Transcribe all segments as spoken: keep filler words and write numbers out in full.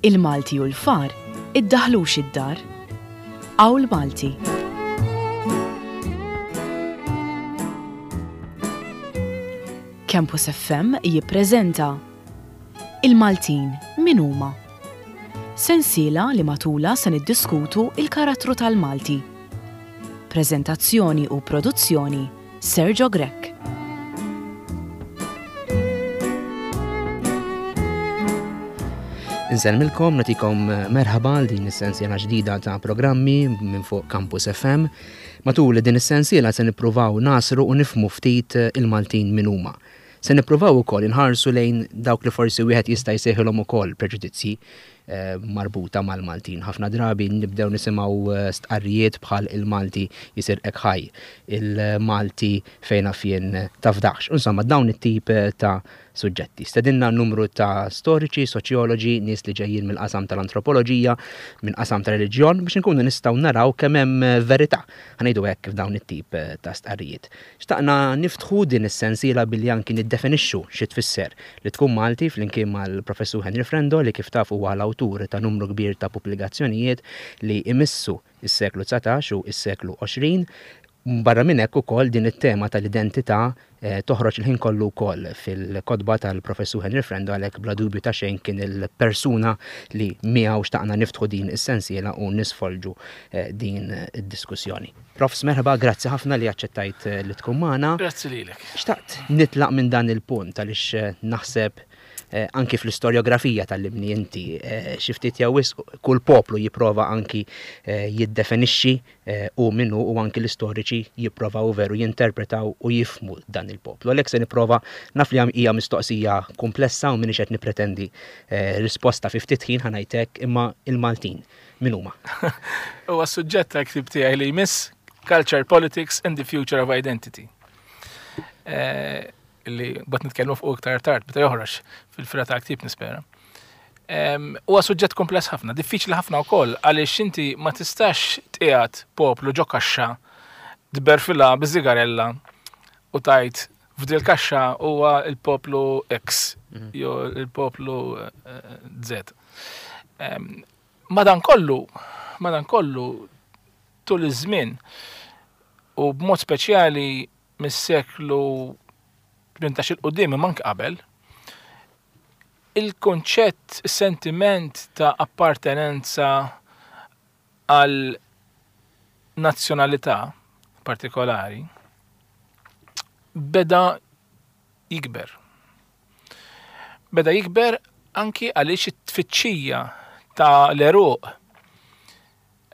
Il-Malti u l-far iddaħlux id-dar. Qawl Malti. Campus F M jippreżenta Il-Maltin min huma? Sensiela li matula se niddiskutu il-karattru tal-Malti. Preżentazzjoni u produzzjoni Sergio Grech. Insellmilkom, nagħtikom merħba għal din is-sensiela ġdida ta' programmi minn fuq Campus F M. Matul din is-sensiela se nippruvaw nasru u nifhmu ftit il-Maltin min huma. Se nippruvaw ukoll inħarsu lejn dawk li forsi wieħed jista' jsejħilhom ukoll preġudizzji, eh, marbuta mal-Maltin. Ħafna drabi nibdew nisimgħu, eh, stqarrijiet bħal il-Malti jisirqek ħaj, il-Malti fejn naf jien tafdax. Insomma, dawn it-tip ta' suġġetti. Stedinna numru ta' storiċi, soċjoloġi, nies li ġejjin mill-qasam tal-antropoloġija, minn qasam tal-reliġjon, biex inkunu nistgħu naraw kemm hemm verità, ħanejdu hekk f'dawn it-tip ta' stqarrijiet. Xtaqna niftħu din is-sensiela billi anki niddefinixxu xi tfisser li tkun Malti flimkien mal-Professur Henry Frendo, li kif taf huwa l-awtur ta' numru kbir ta' pubblikazzjonijiet li imissu is-seklu dsatax u s-seklu għoxrin. Barra minn hekk ukoll din it-tema tal-identità, eh, toħroġ il-ħin kollu wkoll fil-kotba tal-Professur Henry Frendo, għalhekk bla dubju ta' xejn kien il-persuna li miegħu xtaqna niftħu din is-sensiela u nisfolġu, eh, din id-diskussjoni. Profs, merħba, grazzi ħafna li aċċettajt, eh, li tkun magħna. Grazzi lilek. Xtaqt nitlaq minn dan il-punt għaliex, eh, naħseb, eh, anki fl-istorjografija tal-limni inti, eh, xi ftit jew wisq kull poplu jipprova anki, eh, jiddefinixxi, eh, u minnu, u anki l-istoriċi jipprovaw veru jinterpretaw u jifhmu dan il-poplu. Għalhekk se nipprova, naf li hija mistoqsija komplessa u m'iniex qed nippretendi, eh, risposta fi ftit ħin ħanajtek, imma il-Maltin min huma? Huwa suġġett tal-ktieb tiegħi li jmiss Culture, Politics and the Future of Identity. Eh, li bat nitkellmu fuq iktar tard, meta joħroġ fil-fira tal-ktieb nispera. Em, huwa suġġett kompless ħafna, diffiċli ħafna wkoll, għaliex inti ma tistax tqiegħed poplu ġo kaxxa, tberfilha biż-żigarella u tajt f'dil kaxxa huwa l-poplu X Mhm. jew il-poplu, eh, Z. Em, madankollu, madankollu tul iż-żmien u b'mod speċjali mis-seklu tmintax il quddiem imma anke qabel, il-konċett, is-sentiment ta' appartenenza għal nazzjonalità partikolari beda jikber. Beda jikber anki għaliex it-tfittxija ta' l-eruq,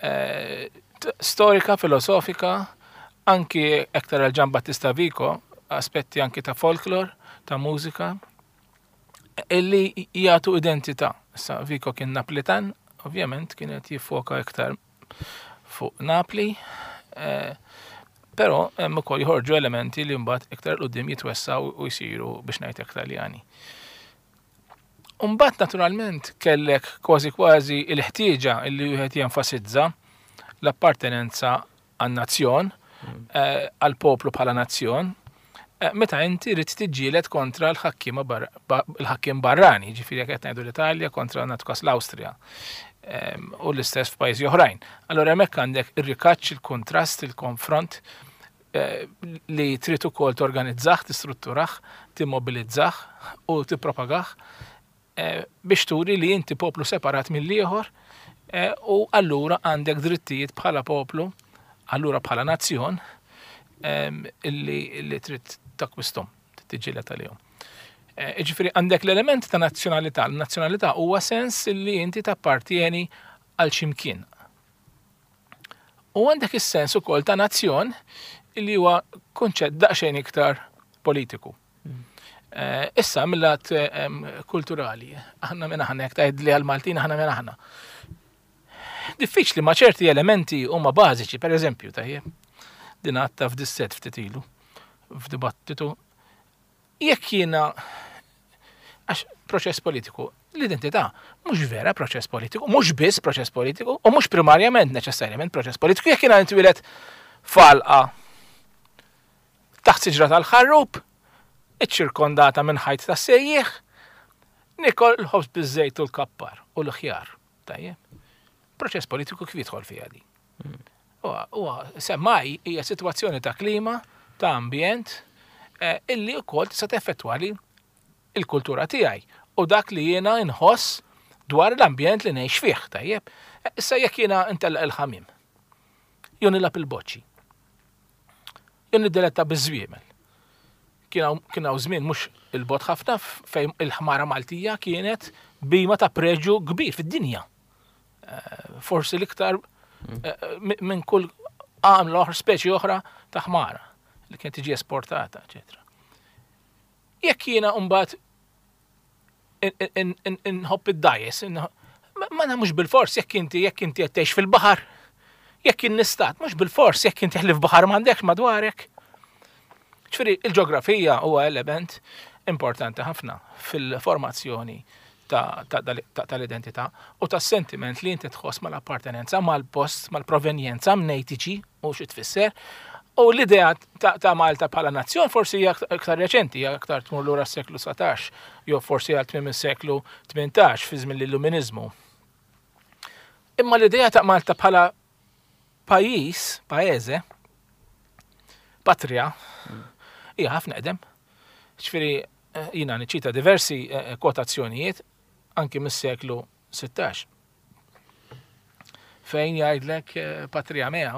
eh, t-, storika, filosofika, anki aktar għal Gian Battista Vico, aspetti anki ta' folklor, ta' mużika, illi jagħtu identità. Issa Vico kien Naplitan, ovvjament kienet jiffoka iktar fuq Napli, eh, però hemm ukoll joħorġu elementi li mbagħad iktar quddiem jitwessaw u jsiru biex ngħid hekk Taljani. Mbagħad naturalment kellek kważi kważi il-ħtieġa illi wieħed jenfasizza l-appartenenza għan-nazzjon, Mm. eh, għall-poplu bħala nazzjon, eh, meta inti rrid tiġġieled kontra l-ħakkiema bar-, ba-, l-ħakkiem barrani, ġifieri jekk qed ngħidu l-Italja kontra natkas l-Awstrija, ehm, u l-istess f'pajjiżi oħrajn. Allora hemmhekk għandek ir-rikaċċ, il-kontrast, il-konfront, eh, li trid ukoll torganizzah, tistrutturah, timmobilizzah u tippropagah, eh, biex turi li inti poplu separat mill-ieħor, eh, u allura għandek drittijiet bħala poplu, allura bħala nazzjon, ehm, illi, illi trid takkwistom, tiġġieled għalihom. Eh, jiġifieri għandek l-element ta' nazzjonalità. L-nazzjonalità huwa sens li inti tappartieni għal ximkien. U għandek is-sens ukoll ta' nazzjon li huwa kunċett daqsxejn iktar politiku. Eh, issa mill-lat, ehm, kulturali, aħna minn aħna, jekk tgħid li għall-Maltin aħna minn aħna. Diffiċli ma' ċerti elementi huma bażiċi, per eżempju, tajjeb, din għadta f'disset ftit ilu, f'dibattitu, jekk jiena, għax proċess politiku, l-identità mhux vera proċess politiku, mhux biss proċess politiku, u mhux primarjament neċessarjament proċess politiku, jekk jiena nitwieled falqa taħt siġra tal-ħarrub, iċċirkondata minn ħajt ta' sejjieħ, Nikol l-ħobż biż-żejt u l-kappar u l-ħjar. Tajjeb. Proċess politiku kif jidħol fiha di? Huwa semmai hija sitwazzjoni ta' klima, ta' ambjent, eh, illi wkoll tista' teffettwali il-kultura tiegħi u dak li jiena nħoss dwar l-ambjent li ngħix fih, tajjeb. Issa jekk jiena ntellaq il-ħamiem, jew nilgħab il-boċċi, jew niddiletta biż-żwiemel. Kien hawn żmien mhux il-bogħod ħafna fejn il-ħmara Maltija kienet bhima ta' preġju kbir fid-dinja. Eh, forsi l-iktar eh, minn kull għamla oħra, speċi oħra ta' ħmara li kienet tiġi esportata, eċetera. Jekk jiena mbagħad inħobb id-dgħajjes, ma mhux bil-fors jekk inti jekk inti qed tgħix fil-baħar, jekk innistat, mhux bil-fors jekk inti ħlief baħar m'għandekx madwarek. Ġifieri il-ġeografija huwa element importanti ħafna fil-formazzjoni tal-identità u tas-sentiment li inti tħoss mal-appartenenza, mal-post, mal-provenjenza, mnejn tiġi u xi tfisser. U l-idea ta' Malta bħala nazzjon forsi hija aktar reċenti, hija aktar tmur lura s-seklu satax, jew forsi għal tmiem is-seklu tmintax fi żmien l-Illuminizmu. Imma l-idea ta' Malta bħala pajjiż, paese, patria, hija ħafna eqdem. Ġifieri jiena niċċita diversi kwotazzjonijiet anki mis-seklu sittax. Fejn jgħidlek patria mea,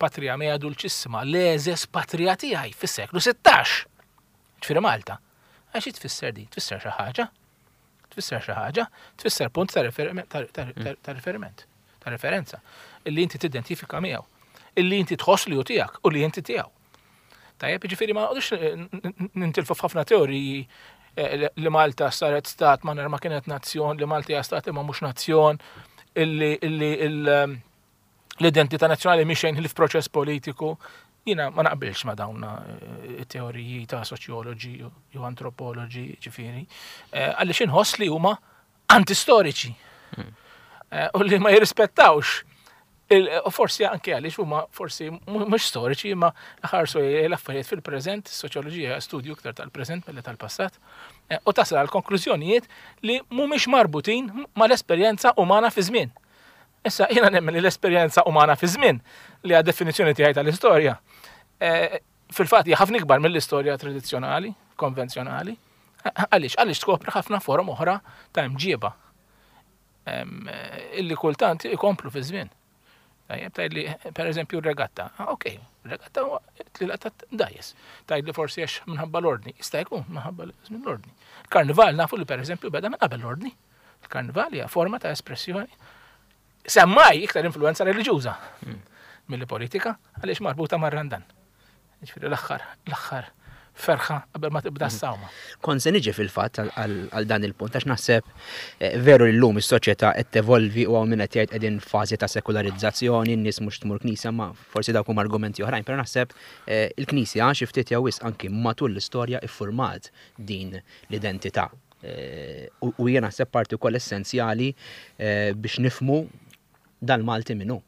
patria mea dulcissima, l-eżes patria tiegħi fis-seklu sittax. Ġifieri Malta. Għax tfisser di? Tfisser xi ħaġa? Tfisser xi ħaġa? Tfisser punt ta' riferiment, ta' referenza, illi inti tidentifika miegħu, illi inti tħoss li hu tiegħek u li inti tiegħu. Tajjeb, ġifieri ma noqgħodux nintilfu f'ħafna teoriji li Malta saret stat ma ma kienet nazzjon, li Malta hija stat imma mhux nazzjon, illi l-identità nazzjonali mhix xejn ħlief proċess politiku. Jiena ma naqbilx ma dawn teoriji ta' soċjoloġi jew antropoloġi, ġifieri, għaliex inħoss li huma antistoriċi u li ma jirrispettawx. U forsi anke għaliex huma forsi mhux storiċi imma ħarsu l-affarijiet fil-preżent, soċjoloġija studju iktar tal-preżent milli tal-passat, u tasal għal konklużjonijiet li mhumiex marbutin mal-esperjenza umana fi żmien. Issa jiena nemmen li l-esperjenza umana fi żmien li għad definizzjoni tiegħi tal-istorja, fil-fatt hija ħafna ikbar mill-istorja tradizzjonali, konvenzjonali. Għaliex? Għaliex tkopri ħafna forom oħra ta' imġieba illi kultant ikomplu fi żmien. Tajjeb, tgħidli per eżempju r-regatta. Ok, regatta huwa tlila ta' dgħajjes. Tgħidli forsi għax minħabba l-ordni. Jista' jkun minħabba żmien l-ordni. Il-karnival nafu li per eżempju beda minn qabel l-ordni. Il-karnival hija forma ta' espressjoni semmai iktar influenza reliġjuża milli politika, għaliex marbuta mar-Randan. Ġifieri l-aħħar, l-aħħar ferħa qabel ma tibda s-sawma. Kont se niġi fil-fatt għal dan il-punt, għax naħseb veru li llum is-soċjetà qed tevolvi u hawn min qed jgħid qegħdin f'fażi ta' sekularizzazzjoni, n-nies mhux tmur knisja, ma forsi dawk huma argumenti oħrajn, però naħseb il-knisja xi ftit jew wisq anki matul l-istorja iffurmat din l-identità. U jiena naħseb parti wkoll essenzjali biex nifhmu dal-Malti min hu.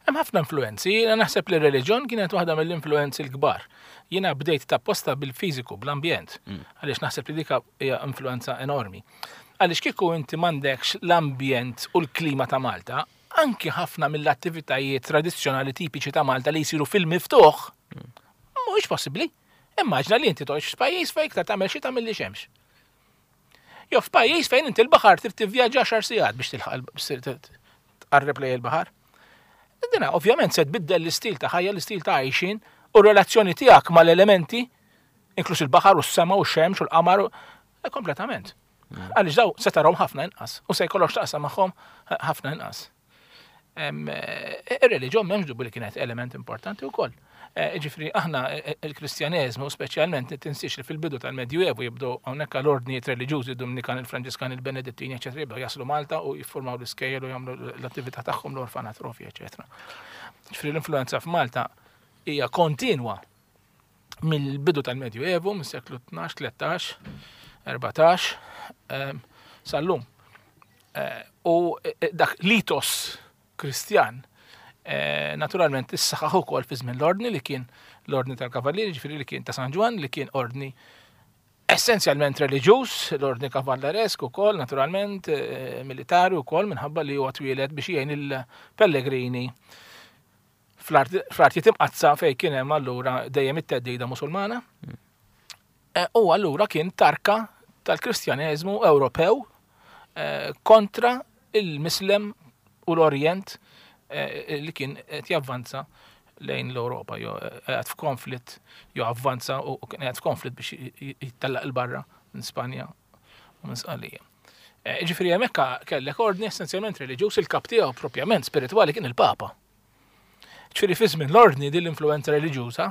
Hemm ħafna influenzi, jiena naħseb li r-reliġjon kienet waħda mill-influenzi l-kbar. Jiena bdejt tapposta bil-fiżiku, bl-ambjent, għaliex naħseb li dik hija influenza enormi. Għaliex kieku inti m'għandekx l-ambjent u l-klima ta' Malta, anki ħafna mill-attivitajiet tradizzjonali tipiċi ta' Malta li jsiru fil-miftuħ, mhuwiex possibbli. Immaġna li inti toqgħodx f'pajjiż fejn iktar tagħmel xita milli xemx. Jew f'pajjiż fejn inti l-baħar trid tivvjaġġa għaxar sigħat biex tilħaq tqarreb lejn il-baħar. Dina ovvjament se tbiddel l-istil ta' ħajja, l-istil ta' għajxin u r-relazzjoni tiegħek mal-elementi, inkluż il-baħar u s-sema u x-xemx u l-qamar, kompletament. Għaliex daw se tarahom ħafna inqas u se jkollok x'taqsam magħhom ħafna inqas. Ir-reliġjon m'hemmx dubju li kienet element importanti wkoll. Ġifieri aħna il-Kristjaneżmu speċjalment tinsiex li fil-bidu tal-Medjuevu jibdew hawnhekk l-ordnijiet reliġjużi, Dominikan, il-Franġiskan, il-Benedittini, eċetera, jibdew jaslu Malta u jiffurmaw l-iskejjel u jagħmlu l-attività tagħhom l-orfanatrofi, eċetera. Ġifieri l-influenza f'Malta hija kontinwa mill-bidu tal-Medjuevu, mis-seklu tnax, tlettax, erbatax, sal-lum. U dak l-itos Kristjan naturalment issaħħaħ ukoll fi żmien l-ordni li kien l-ordni tal-Kavallieri, ġifieri li kien ta' San Ġwann, li kien ordni Essenzjalment reliġjuż, l-ordni kavalleresk ukoll, naturalment, militari wkoll, minħabba li huwa twieled biex jgħin il-pellegrini fl-artijiet imqaddsa fejn kien hemm allura dejjem it-theddida Musulmana. U allura kien tarka tal-Kristjaneżmu Ewropew kontra il-Mislem u l-Orjent li kien qed javvanza lejn l-Ewropa, jew qed f'konflitt, jew avvanza u kien qed f'konflitt biex jittellaq il-barra minn Spanja u minn Sqallija. Ġifieri hemmhekk kellek ordni essenzjalment reliġjuż, il-kap tiegħu propjament spiritwali kien il-Papa. Ġifieri fi żmien l-ordni din l-influenza reliġjuża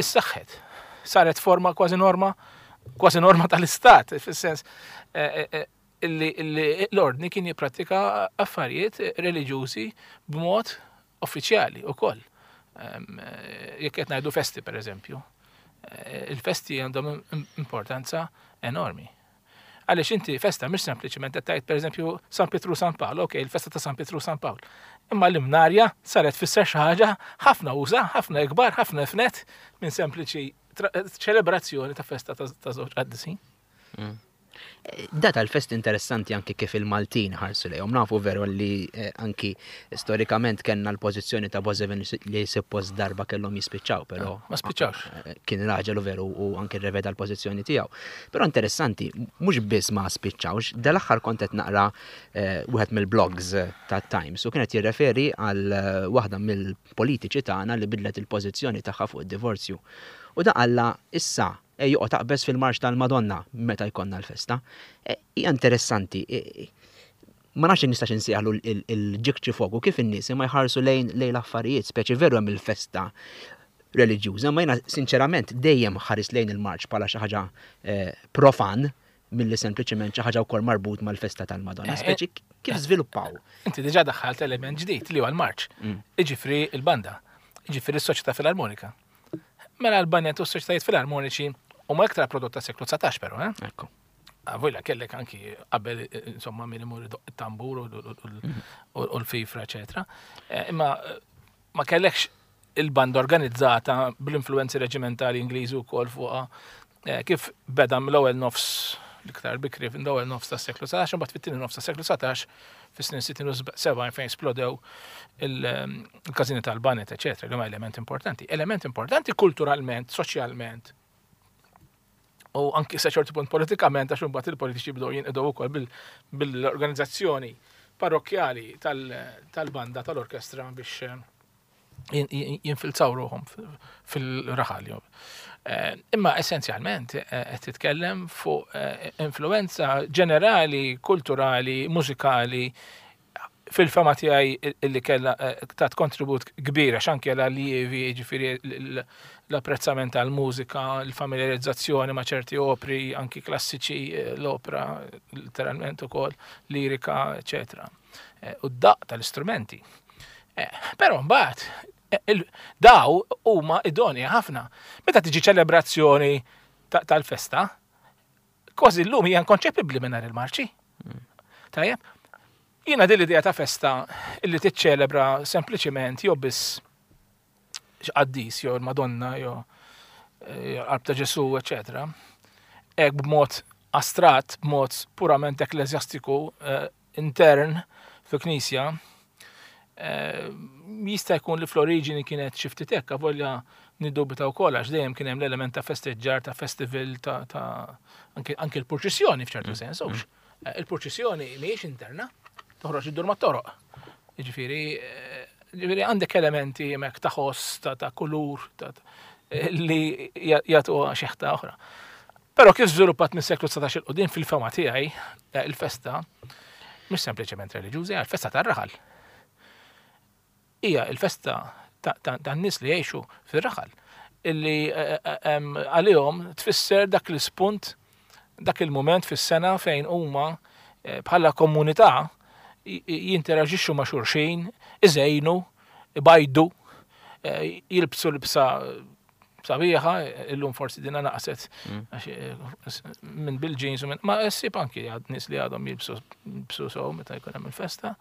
issaħħet. Saret forma kważi norma, kważi norma tal-istat, fis-sens illi l-ordni kien jipprattika affarijiet reliġjużi b'mod uffiċjali wkoll. Jekk qed ngħidu festi pereżempju, il-festi għandhom importanza enormi. Għaliex inti festa mhix sempliċement qed tgħid pereżempju San Pietru San Pawl, okej, il-festa ta' San Pietru San Pawl. Imma l-imnarja saret tfisser xi ħaġa ħafna uża, ħafna ikbar, ħafna ifnet minn sempliċi ċelebrazzjoni ta' festa ta' żewġ qaddisin. Da tal-fest interessanti anki kif il-Maltin ħarsu lejhom. Nafu veru li anki storikament kellna l-pożizzjoni ta' Bożevin li suppost darba kellhom jispiċċaw, però ma spiċċawx. Kien raġel u veru u anki rreveda l-pożizzjoni tiegħu. Però interessanti, mhux biss ma spiċċawx, dal-aħħar kont qed naqra wieħed mill-blogs ta' Times u kienet jirreferi għal waħda mill-politiċi tagħna li bidlet il-pożizzjoni tagħha fuq id-divorzju. U da qalla issa e joqgħod taqbeż fil-marċ tal-Madonna meta jkollna l-festa. Hija interessanti. Ma nafx nistax insejħlu il-ġikċi fogu kif in-nies ma jħarsu lejn lejn l-affarijiet, speċi veru hemm il-festa reliġjuża, ma jiena sinċerament dejjem ħares lejn il-marċ bħala xi ħaġa profan milli sempliċement xi ħaġa wkoll marbut mal-festa tal-Madonna. Speċi kif żviluppaw? Inti diġà daħħalt element ġdid li huwa l-marċ. Iġifri l-banda, iġifri s-soċjetà filarmonika. Mela l-bandet u s-soċjetajiet filarmoniċi huma iktar prodott ta' seklu dsatax però, eh? Ekku. Vojla kellek anki qabel insomma min imur idoq it-tambur u l-fifra, eċetera. Imma ma kellekx il-banda organizzata bl-influenzi reġimentali Ingliżi wkoll fuqha kif beda mill-ewwel nofs l-iktar bikri fl-ewwel nofs tas-seklu dsatax, imbagħad fit-tieni nofs tas-seklu dsatax fis-snin sittin u sebgħin fejn splodew il-każini tal-banet, eċetera, li huma element importanti. Element importanti kulturalment, soċjalment, u anki sa ċertu punt politikament, għax imbagħad il-politiċi bdew jinqdew ukoll bil-organizzazzjoni parrokkjali tal-banda tal-orkestra biex jinfilzaw ruħhom fil-raħal. Imma essenzjalment qed titkellem fuq influenza ġenerali, kulturali, mużikali, fil-fama tiegħi illi kellha tat kontribut kbir għax anke l-allievi, jiġifieri l-apprezzament tal-mużika, l-familjarizzazzjoni ma' ċerti opri, anki klassiċi, l-opera letteralment ukoll, lirika, eċetera. U d-daqq tal-istrumenti. Però mbagħad daw huma idonja ħafna. Meta tiġi ċelebrazzjoni tal-festa, kważi llum hija inkonċepibbli mingħajr il-marċi. Tajjeb? Jiena din l-idea ta' festa illi tiċċelebra sempliċiment jew biss x'qaddis jew il-Madonna jew qalb ta' Ġesu, eċetera. Hekk b'mod astratt, b'mod purament ekkleżjastiku intern fil-Knisja, jista' jkun li fl-oriġini kienet xi ftit hekk, avolja niddubita wkoll għax dejjem kien hemm l-element ta' festeġġar, ta' festival, ta' anke l-purċissjoni f'ċertu sens, hux. Il-purċissjoni mhijiex interna, toħroġ iddur mat-toroq. Jiġifieri, jiġifieri għandek elementi hemmhekk ta' ħoss, ta' kulur, li jagħtuha xeħta oħra. Però kif żviluppat mis-seklu dsatax il qudiem fil-fema tiegħi, il-festa mhux sempliċement reliġjuża, hija l-festa tar-raħal. Hija l-festa tan-nies li jgħixu fir-raħal, illi għalihom tfisser dak l-ispunt, dak il-mument fis-sena fejn huma bħala komunità jinteraġixxu ma' xulxin, iżejnu, ibajdu, jilbsu libsa sabiħa, illum forsi dina naqset minn bil-jeans u minn, ma ssib anki għad nies li għadhom jilbsu jilbsu sew meta jkun hemm il-festa.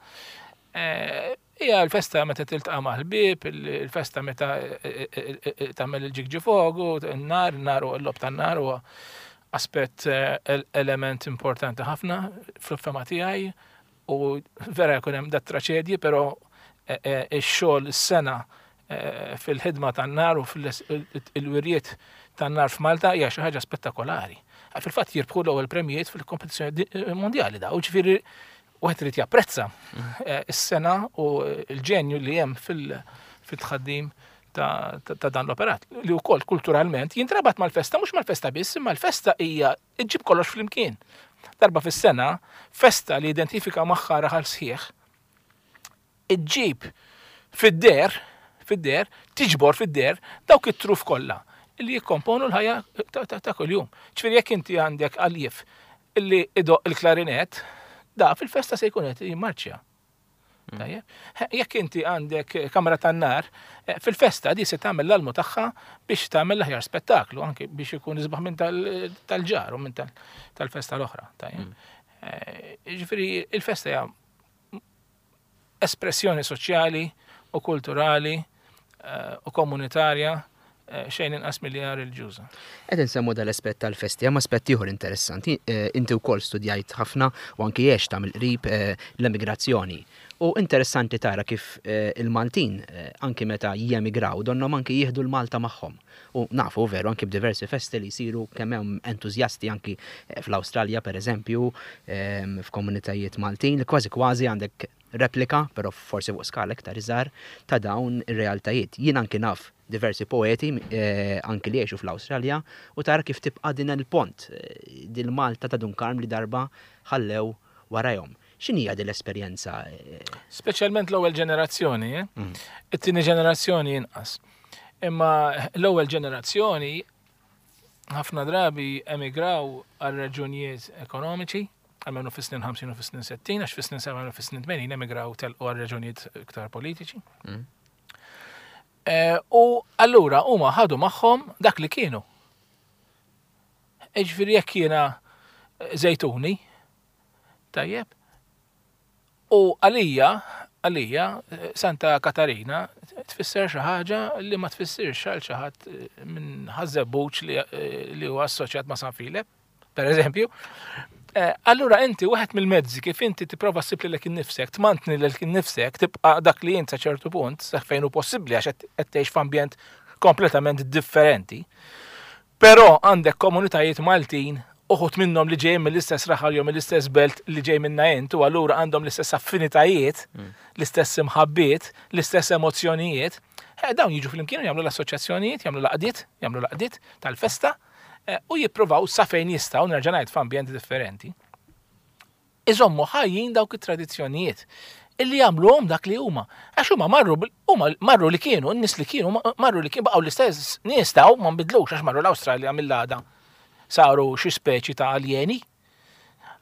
Hija l-festa meta tiltaqa' mal-ħbieb, il-festa meta tagħmel il-ġigġifogu, n-nar, n-nar u l-lob tan-nar huwa Aspett, element importanti ħafna fl-fehma tiegħi, u vera jkun hemm dat traċedji, però ix-xogħol, is-sena fil-ħidma tan-nar u fil-wirjiet tan-nar f'Malta hija xi ħaġa spettakolari. Fil-fatt jirbħu l-ewwel premijiet fil-kompetizzjoni mondjali da, u ġifieri wieħed irid japprezza is-sena u l-ġenju li hemm fil-tħaddim ta' dan l-operat, li wkoll kulturalment jintrabat mal-festa, mhux mal-festa biss, imma l-festa hija iġġib kollox flimkien. Darba fis-sena, festa li identifika magħha raħal sħiħ, iġġib fid-der, fid-der, tiġbor fid-der dawk it-truf kollha li jikkomponu l-ħajja ta' kuljum. Ġifieri jekk inti għandek għaljif illi idoq il-klarinet, da fil-festa se jkun qed jimmarċja. Jekk inti għandek kamra tan-nar, fil-festa di se tagħmel l-almu tagħha biex tagħmel l-aħjar spettaklu, anke biex ikun isbaħ minn tal-ġar u minn tal-festa l-oħra. Ġifieri il-festa hija espressjoni soċjali u kulturali u komunitarja xejn inqas milli reliġjuża. Qed insemmu dal-aspett tal-festi, hemm aspett ieħor interessanti. Inti wkoll studjajt ħafna u anki għext ta' mill-qrib l-emigrazzjoni. U interessanti tara kif il-Maltin anki meta jemigraw donnhom anki jieħdu l-Malta magħhom. U nafu veru anki b'diversi festi li jsiru kemm hemm entużjasti anki fl-Awstralja pereżempju, f'komunitajiet Maltin, li kważi kważi għandek replika, però forsi fuq skala iktar iżgħar, ta' dawn ir-realtajiet. Jien anki naf diversi poeti eh, anki li jgħixu fl-Awstralja u tara kif tibqa' din il-pont, eh, din Malta ta' Dun Karm li darba ħallew warajhom. X'inhi din l-esperjenza? Speċjalment l-ewwel ġenerazzjoni, eh? mm. It-tieni ġenerazzjoni inqas. Imma l-ewwel ġenerazzjoni ħafna drabi emigraw għal raġunijiet ekonomiċi, għalmenu fis-snin ħamsin u fis-snin sittin, għax fis-snin sebgħin u fis-snin tmenin emigraw telqu għal raġunijiet iktar politiċi. Mm. U allura huma ħadu magħhom dak li kienu. Ġifieri jekk jiena Żejtuni, tajjeb, u għalija, għalija Santa Katarina tfisser xi ħaġa li ma tfissirx għal xi ħadd minn Ħaż-Żebbuġ li huwa assoċjat ma' San Filep, per eżempju. Allura inti wieħed mill-mezzi kif inti tipprova ssib lilek innifsek, tmantni lilek innifsek, tibqa' dak li int sa ċertu punt, sa fejn hu possibbli għax qed tgħix f'ambjent kompletament differenti. Però għandek komunitajiet Maltin, uħud minnhom li ġejjin mill-istess raħal jew mill-istess belt li ġej minna int, u allura għandhom l-istess affinitajiet, l-istess imħabbiet, l-istess emozzjonijiet. Dawn jiġu flimkien u jagħmlu l-assoċjazzjonijiet, jagħmlu l-għaqdiet, jagħmlu l-għaqdiet tal-festa, u jippruvaw sa fejn jistgħu, nerġa' ngħid f'ambjenti differenti, iżommu ħajjin dawk it-tradizzjonijiet illi jagħmluhom dak li huma. Għax huma marru huma marru li kienu, n-nies li kienu, marru li kienu, baqgħu l-istess nies taw, ma nbidlux għax marru l-Awstralja mill-għada saru xi speċi ta' aljeni.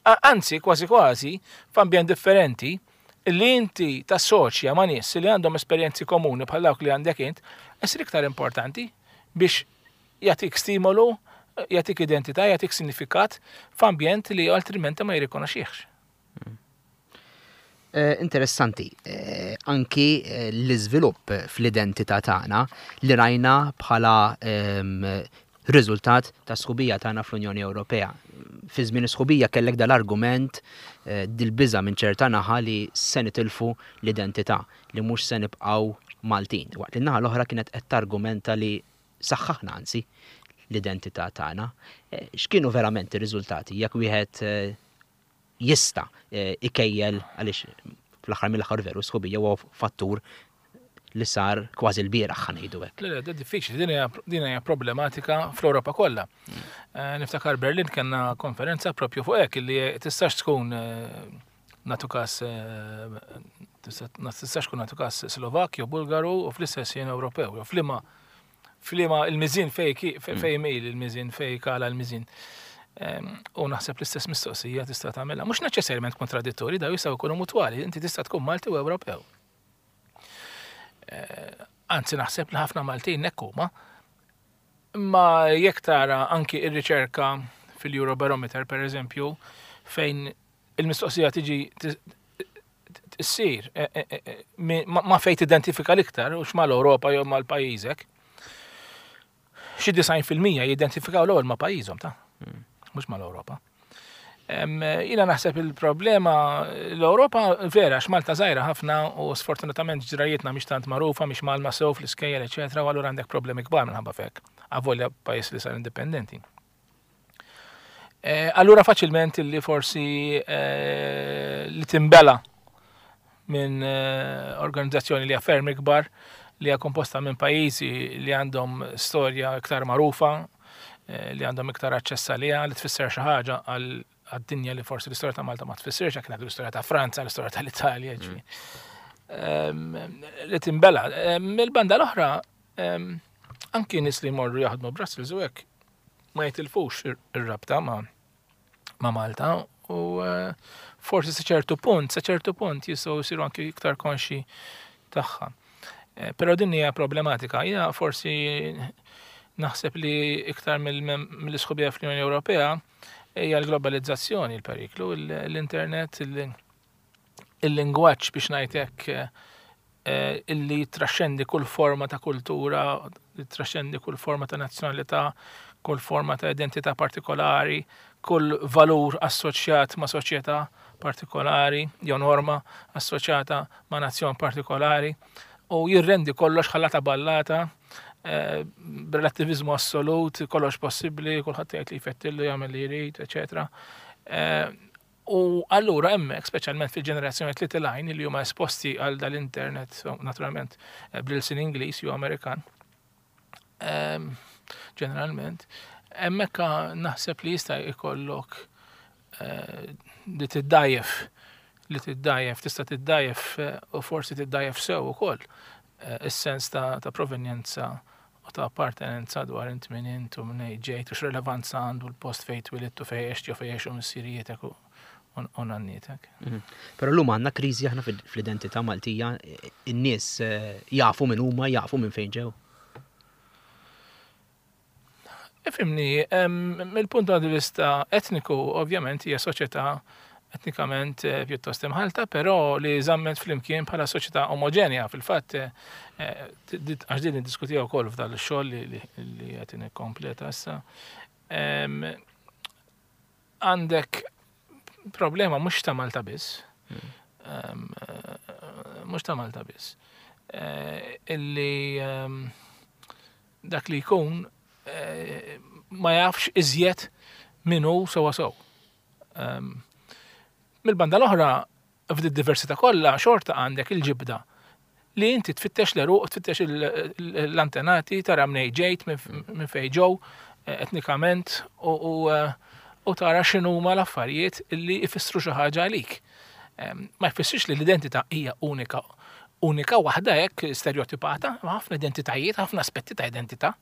Anzi, kważi kważi, f'ambjent differenti, li inti tassoċja ma' nies li għandhom esperjenzi komuni bħal dawk li għandek int, isir iktar importanti biex jagħtik stimolu, jagħtik identità, jagħtik sinifikat f'ambjent li altrimenti ma jirrikonoxxihx. Interessanti, anki l-iżvilupp fl-identità tagħna li rajna bħala riżultat ta' sħubija tagħna fl-Unjoni Ewropea. Fi żmien is-sħubija kellek dal-argument, dil-biża' minn ċerta naħa li se nitilfu l-identità, li mhux se nibqgħu Maltin. Waqt li n-naħa l-oħra kienet qed targumenta li saħħaħna anzi l-identità tagħna. X'kienu verament ir-riżultati jekk wieħed jista' ikejjel, għaliex fl-aħħar mill-aħħar veru sħubija huwa fattur li sar kważi l-bieraħ, ħa ngħidu hekk. Le, le, diffiċli, din hija problematika fl-Ewropa kollha. Niftakar Berlin kellna konferenza propju fuq hekk li tistax tkun nagħtu każ tistax tkun nagħtu każ Slovak jew Bulgaru u fl-istess jien Ewropew, jew flima flima il-miżin fej fej mejl il-miżin fej kala l-miżin. U naħseb l-istess mistoqsija tista' tagħmilha. Mhux neċessarjament kontradittorji, daw jistgħu jkunu mutwali, inti tista' tkun Malti u Ewropew. Anzi naħseb li ħafna Maltin hekk huma. Imma jekk tara anki ir-riċerka fil-Eurobarometer pereżempju, fejn il-mistoqsija tiġi issir ma fejn tidentifika l-iktar u x'mal-Ewropa jew mal-pajjiżek, xi disgħin fil-mija jidentifikaw l-ewwel ma' pajjiżhom ta'. mhux mal-Ewropa. Jiena naħseb il-problema l-Ewropa vera għax Malta żgħira ħafna u sfortunatament ġrajietna mhix tant magħrufa, mhix mgħallma sew fl-iskejjel, eċetera, u allura għandek problemi kbar minħabba f'hekk, avolja pajjiż li sar indipendenti. Allura faċilment li forsi li timbela minn organizzazzjoni li hija ferm ikbar, li hija komposta minn pajjiżi li għandhom storja iktar magħrufa, li għandhom iktar aċċess għaliha, li tfisser xi ħaġa għad-dinja li forsi l-istorja ta' Malta ma tfissirx, jekk ngħidu l-istorja ta' Franza, l-istorja tal-Italja, ġifieri. Li timbela. Mill-banda l-oħra, anki nies li jmorru jaħdmu Brussels u hekk ma jitilfux ir-rabta ma' ma' Malta u forsi sa ċertu punt, sa ċertu punt jistgħu jsiru anki iktar konxi tagħha. Però din hija problematika. Jiena forsi naħseb li iktar mill-isħubija fl-Unjoni Ewropea hija l-globalizzazzjoni l-periklu, l-internet, il-lingwaġġ biex ngħid hekk illi traxxendi kull forma ta' kultura, traxxendi kull forma ta' nazzjonalità, kull forma ta' identità partikolari, kull valur assoċjat ma' soċjetà partikolari, jew norma assoċjata ma' nazzjon partikolari, u jirrendi kollox ħallata ballata, b'relattivizmu assolut, kollox possibbli, kulħadd jgħid li jfettillu, jagħmel li jrid, eċetera. U allura hemmhekk, speċjalment fil-ġenerazzjoni li tilgħin li huma esposti għal dal-internet, naturalment bl-ilsien Ingliż jew Amerikan, ġeneralment, hemmhekk naħseb li jista' jkollok li tiddajjef, li tiddajjef, tista' tiddajjef u forsi tiddajjef sew ukoll is-sens ta' provenjenza u ta' appartenenza dwar int min int u minn ġejt u x'relevanza għandu l-post fejn twilidt u fejn għext jew fejn għexu missirietek u nannietek. Però llum għandna kriżi aħna fl-identità Maltija, in-nies jafu min huma, jafu minn fejn ġew. Ifhimni, mill-punt di vista etniku, ovvjament hija soċjetà etnikament pjuttost imħalta, però li żammet flimkien bħala soċjetà omogenja. Fil-fatt, għax din niddiskutiha wkoll f'dan ix-xogħol li qed nikkompleta issa. Għandek problema mhux ta' Malta biss, mhux ta' Malta biss, illi dak li jkun ma jafx iżjed min hu sewwa sew. Mill-banda l-oħra, f'di diversità kollha xorta għandek il-ġibda li inti tfittex l-eruq, tfittex l-antenati, tara mnej ġejt, minn fejn ġew etnikament u tara x'inhuma l-affarijiet li jfissru xi ħaġa għalik. Ma jfissirx li l-identità hija unika, unika waħda hekk stereotipata, ma ħafna identitajiet, ħafna aspetti ta' identità.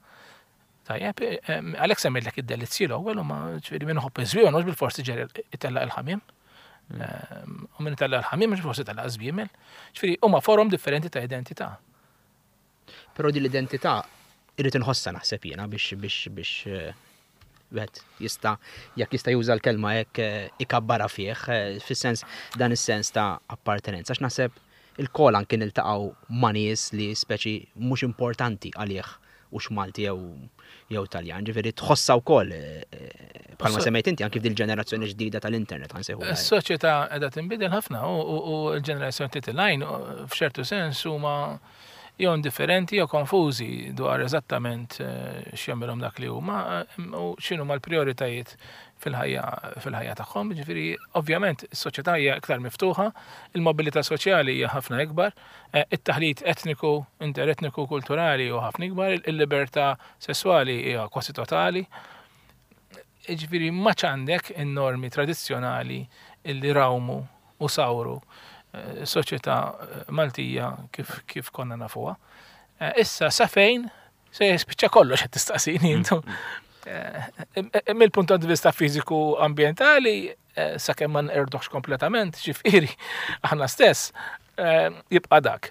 Tajjeb, għalhekk semmejtlek id-delizzji l-ewwel u ma ġifieri min iħobb iż-żwieq mhux bil-forsi ġeri itellaq il-ħamiem. U min itellaq il-ħamiem mhux bil-forsi itellaq iż-żwiemel. Ġifieri huma forom differenti ta' identità. Però din l-identità irrid inħossha naħseb jiena biex biex biex wieħed jista' jekk jista' juża l-kelma hekk ikabbarha fih, fis-sens dan is-sens ta' appartenenza. Għax naħseb il-kol anke niltaqgħu ma' nies li speċi mhux importanti għalih hux Malti jew jew Taljan, ġifieri tħossha wkoll bħalma semmejt inti anke f'dil ġenerazzjoni ġdida tal-internet ħansejħu. Is-soċjetà qiegħda tinbidel ħafna u l-ġenerazzjoni li tilgħin f'ċertu sens huma jew indifferenti jew konfużi dwar eżattament x'jagħmilhom dak li huma u x'inhuma l-prijoritajiet fil-ħajja fil-ħajja tagħhom. Ġifieri ovvjament is-soċjetà hija iktar miftuħa, il-mobilità soċjali hija ħafna ikbar, it-taħlit etniku, interetniku, kulturali huwa ħafna ikbar, il-libertà sesswali hija kważi totali. Ġifieri ma għandek in-normi tradizzjonali illi rawmu u sawru soċjetà Maltija kif kif konna nafuha. Issa sa fejn se jispiċċa kollox qed tistaqsini intu. Mill-punt di vista fiżiku ambjentali, sakemm ma nqerduhx kompletament, ġifieri aħna stess, jibqa' dak.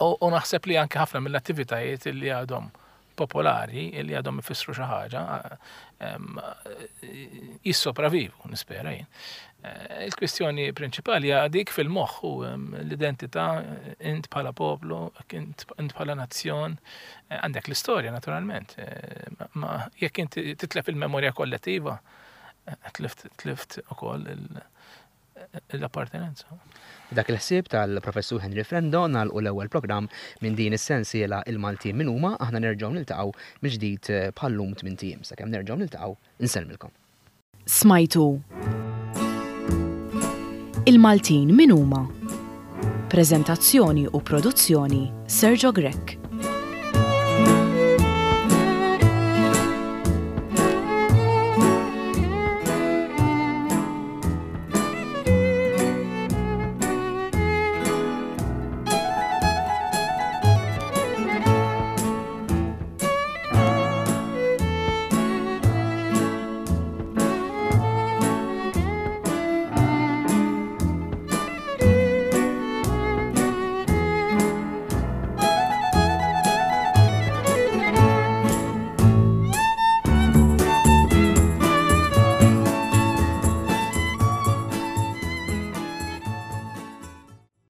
U naħseb li anke ħafna mill-attivitajiet li għadhom popolari li għadhom ifissru xi ħaġa jissopravivu, nispera jien. Eh, il-kwistjoni prinċipali hija dik fil-moħħ u l-identità, int bħala poplu, int bħala nazzjon, eh, għandek l-istorja naturalment. Eh, ma jekk inti titlef il-memorja kollettiva, tlift tlift ukoll l-appartenenza. Dak il-ħsieb tal-Professur Henry Frendo nagħlqu l-ewwel programm minn din is-sensiela Il-Maltin min huma. Aħna nerġgħu niltaqgħu mill-ġdid bħallum tmint ijiem. Sakemm nerġgħu niltaqgħu, insellmilkom. Smajtu Il-Maltin min huma? Preżentazzjoni u produzzjoni, Sergio Grech.